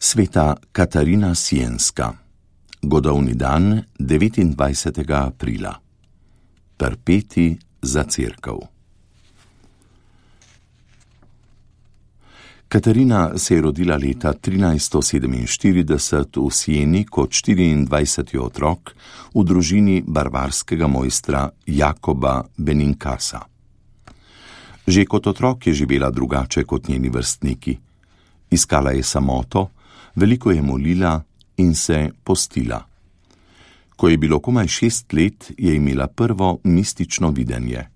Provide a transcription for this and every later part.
Sveta Katarina Sienska. Godovni dan 29. aprila. Perpeti za cerkev. Katarina se je rodila leta 1347 v Sieni kot 24. otrok v družini barbarskega mojstra Jakoba Benincasa. Že kot otrok je živela drugače kot njeni vrstniki. Iskala je samoto, veliko je molila in se postila. Ko je bilo komaj 6 let, je imela prvo mistično videnje.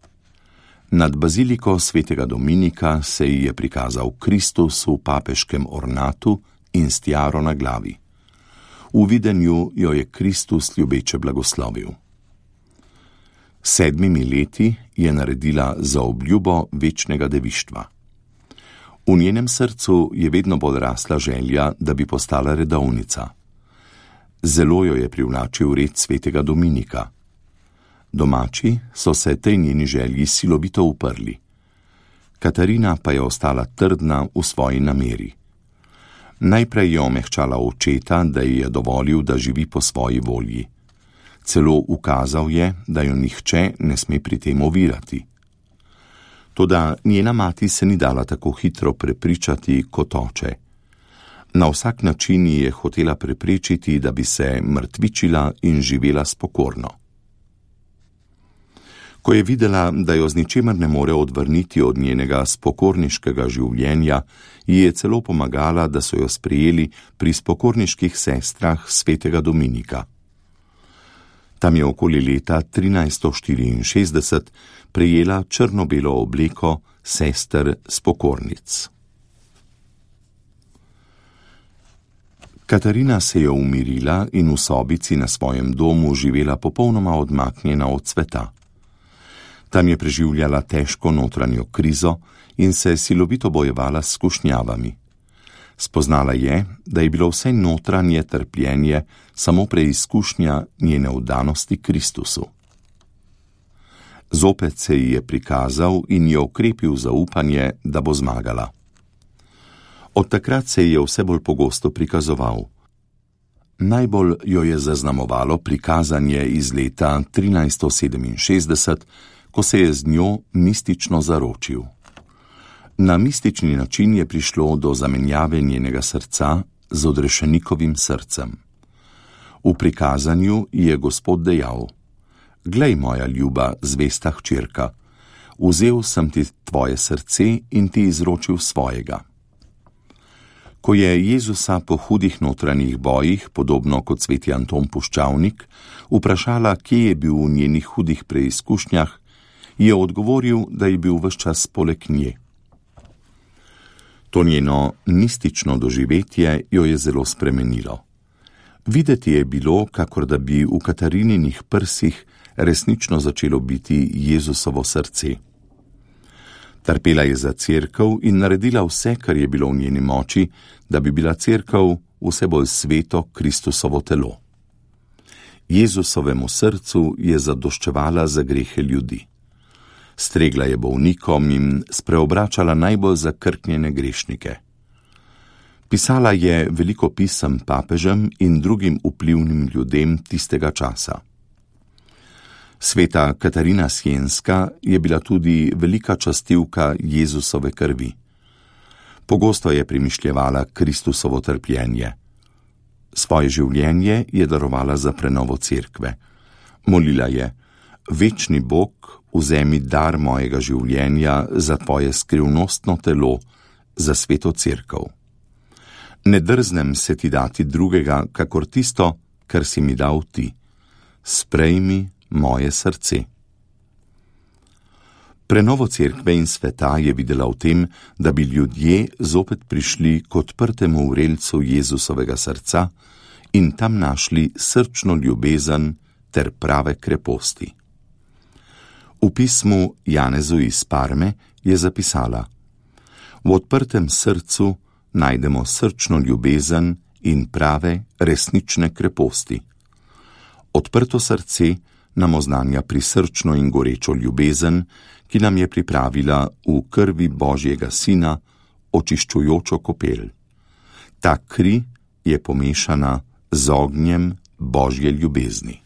Nad baziliko svetega Dominika se ji je prikazal Kristus v papeškem ornatu in s tiaro na glavi. V videnju jo je Kristus ljubeče blagoslovil. 7 leti je naredila zaobljubo večnega devištva. V njenem srcu je vedno bolj rasla želja, da bi postala redovnica. Zelo jo je privlačil red svetega Dominika. Domači so se tej njeni želji silovito uprli. Katarina pa je ostala trdna v svoji nameri. Najprej je omehčala očeta, da ji je dovolil, da živi po svoji volji. Celo ukazal je, da jo nihče ne sme pri tem ovirati. Toda njena mati se ni dala tako hitro prepričati kot oče. Na vsak način je hotela preprečiti, da bi se mrtvičila in živela spokorno. Ko je videla, da jo z ničemer ne more odvrniti od njenega spokorniškega življenja, ji je celo pomagala, da so jo sprejeli pri spokorniških sestrah svetega Dominika. Tam je okoli leta 1364 prejela črno-belo obleko sester spokornic. Katarina se je umirila in v sobici na svojem domu živela popolnoma odmaknjena od sveta. Tam je preživljala težko notranjo krizo in se silovito bojevala s skušnjavami. Spoznala je, da je bilo vse notranje trpljenje samo preizkušnja njene vdanosti Kristusu. Zopet se ji je prikazal in je okrepil zaupanje, da bo zmagala. Od takrat se ji je vse bolj pogosto prikazoval. Najbolj jo je zaznamovalo prikazanje iz leta 1367, ko se je z njo mistično zaročil. Na mistični način je prišlo do zamenjave njenega srca z odrešenikovim srcem. V prikazanju je Gospod dejal: Glej, moja ljuba, zvesta hčerka, vzel sem ti tvoje srce in ti izročil svojega. Ko je Jezusa po hudih notranjih bojih, podobno kot sveti Anton Puščavnik, vprašala, kje je bil v njenih hudih preizkušnjah, je odgovoril, da je bil ves čas poleg nje. To njeno mistično doživetje jo je zelo spremenilo. Videti je bilo, kakor da bi v Katarininih prsih resnično začelo biti Jezusovo srce. Trpela je za cerkev in naredila vse, kar je bilo v njeni moči, da bi bila cerkev vse bolj sveto Kristusovo telo. Jezusovemu srcu je zadoščevala za grehe ljudi. Stregla je bolnikom in spreobračala najbolj zakrknjene grešnike. Pisala je veliko pisem papežem in drugim vplivnim ljudem tistega časa. Sveta Katarina Sienska je bila tudi velika častivka Jezusove krvi. Pogosto je premišljevala Kristusovo trpljenje. Svoje življenje je darovala za prenovo cerkve. Molila je: Večni Bog, vzemi dar mojega življenja za tvoje skrivnostno telo, za sveto cerkev. Ne drznem se ti dati drugega, kakor tisto, kar si mi dal ti. Sprejmi moje srce. Prenovo cerkve in sveta je videla v tem, da bi ljudje zopet prišli k odprtemu vrelcu Jezusovega srca in tam našli srčno ljubezen ter prave kreposti. V pismu Janezu iz Parme je zapisala: V odprtem srcu najdemo srčno ljubezen in prave, resnične kreposti. Odprto srce nam oznanja prisrčno in gorečo ljubezen, ki nam je pripravila v krvi Božjega Sina očiščujočo kopel. Ta kri je pomešana z ognjem Božje ljubezni.